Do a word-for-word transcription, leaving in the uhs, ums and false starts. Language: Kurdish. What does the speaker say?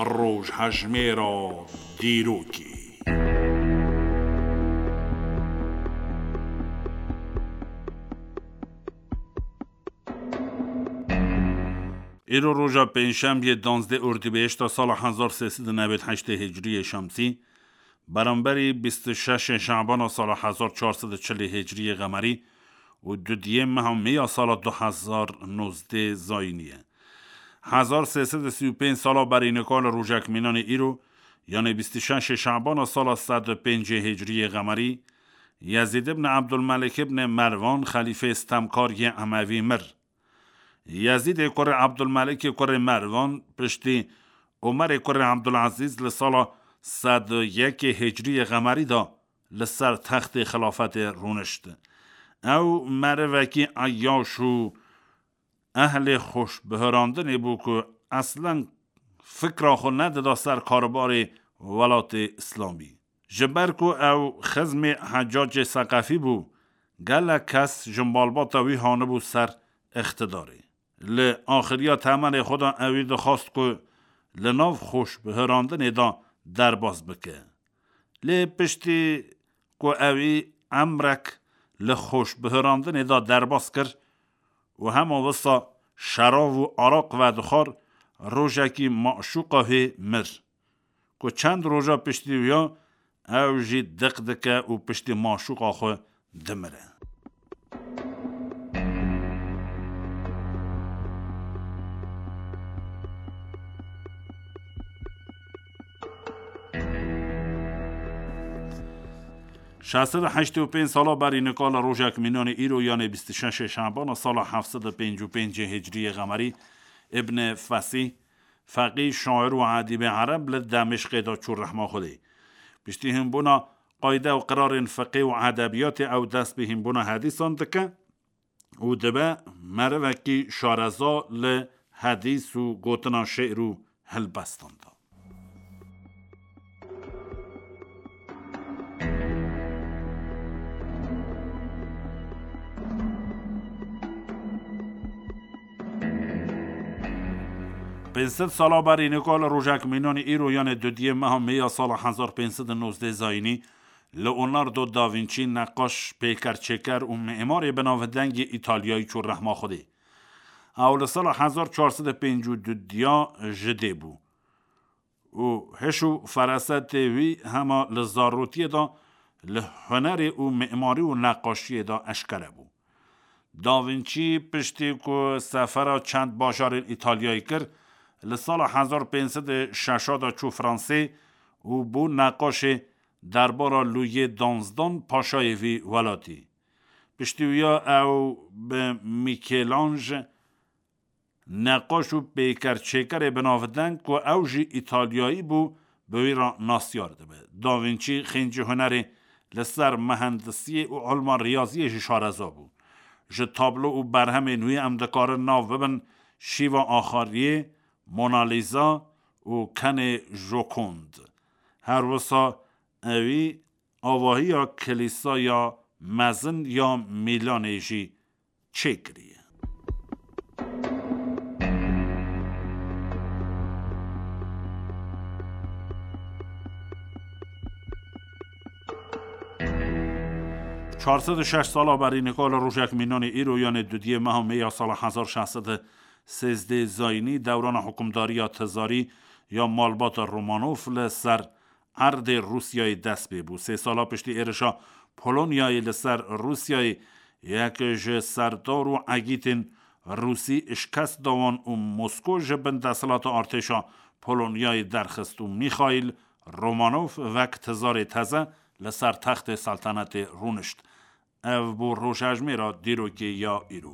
Rojhejmêra dîrokê. Îro roja pêncşemiyê, duwazdeh Ordîbehişta sala hezar sê sed û newêd heştê Hicriyê Şemsî, beramberî bîst û şeş Şabana sala hezar çar sed û çil Hicriyê Qemerî û dudiyê meha Meya sala du hezar nozdeh Zayînî ye. Hezar sê sed û sî û pênc sala berî nika li rojek mînanê îro, yanê bîst û şeş Şabana sala sed û pêncê Hicriyê Qemerî, Yezîd ibn Ebdulmelik ibn Merwan, xelîfê stemkar yê Emevî, mir. Yezîdê kurê Ebdulmelikê kurê Merwan piştî Omerê kurê Ebdulezîz li sala sed û yekê Hicriyê Qemerî de li ser textê xilafetê rûnişt. Ew merivekî eyyaş û ehlê xweşbihirandinê bû ku eslen fikra xwe nedida ser karbarê welatê Îslamî. Ji ber ku ew xizmê Heccacê Seqefî bû, gelek kes ji malbata wî hanibû ser îqtidarê. Li axiriya temenê xwe de ewî dixwast ku li nav xweşbihirandinê de derbas bike. Lê piştî ku ewî emrek li xweşbihirandinê de derbas kir û hema wisa şerav û araq vedixwar, rojekî maşûqa wê mir. Ku çend roja piştî wî ya ew jî diq dike û piştî maşûqa xwe dimire. Şeş sed û heştê û pênc sala berî nika li rojek mînanê îro, yanê bîst û şeş Şabana sala heft sed û pêncî û pêncê Hicriyê Qemerî, Ibn Fesîh, feqî, şair û edîbê ereb, li Demişqê de çû rehma Xwedê. Piştî hînbûna qayde û qirarên fiqê û edebiyatê ew dest bi hînbûna hedîsan dike û dibe merivekî şareza li hedîs û gotina şi'r û helbestan de. Pênc sed sala berî nika li rojek mînanê îro, yanê dudiyê meha Meya sala hezar pênc sed û nozdeh Zayînî, Leonardo da Vinci, neqaş, pêker çêker û mimarê binavdengê Îtalyayî çû rehma Xwedê. Ew li sala hezar çar sed û pêncî û du diya ji dê bû û hiş û ferasetê wî hema li zarotiyê de li hunerê û mimarî û neqaşiyê de eşkere bû. Da Vinci piştî ku sefera çend bajarên Îtalyayê kir, li sala hezar pênc sed û şeş de çû Fransê û bû neqaşê derbara Lûyê danzdan, paşayê vî welatî. Piştî wî ya ew bi Mîkelanj, neqaş û pêker çêkerê binavdeng ku ew jî Îtalyayî bû, bi wî re nasyar dibe. Da Vinci xêncî hunerê li ser mehendisiyê û ilma riyaziyê jî şareza bû. Ji tablo û berhemên wî em dikarin nav bibin şîva axariyê, Mona Lisa û kenê Jokond. Her wisa ewî avahiya Kilîsaya Mezin ya Mîlanê jî çêkiriye. Çar sed û şeş sala berî nika li rojek mînanê îro, yanê dudiyê meha Meya sala hezar şeş sed û sêzdeh Zayînî, dewrana hukimdariya tizarî ya malbata Romanov li ser erdê Rûsyayê dest pê bû. Sê sala piştî êrişa Polonyayê li ser Rûsyayê, yek ji serdar û egîtên Rûsî şikest da wan û Mosko ji bin desthilata artêşa Polonyayê derxist û Mîxaîl Romanov wek tizarê teze li ser textê seltenetê rûnişt. Ev bû rojhejmêra dîrokê ya îro.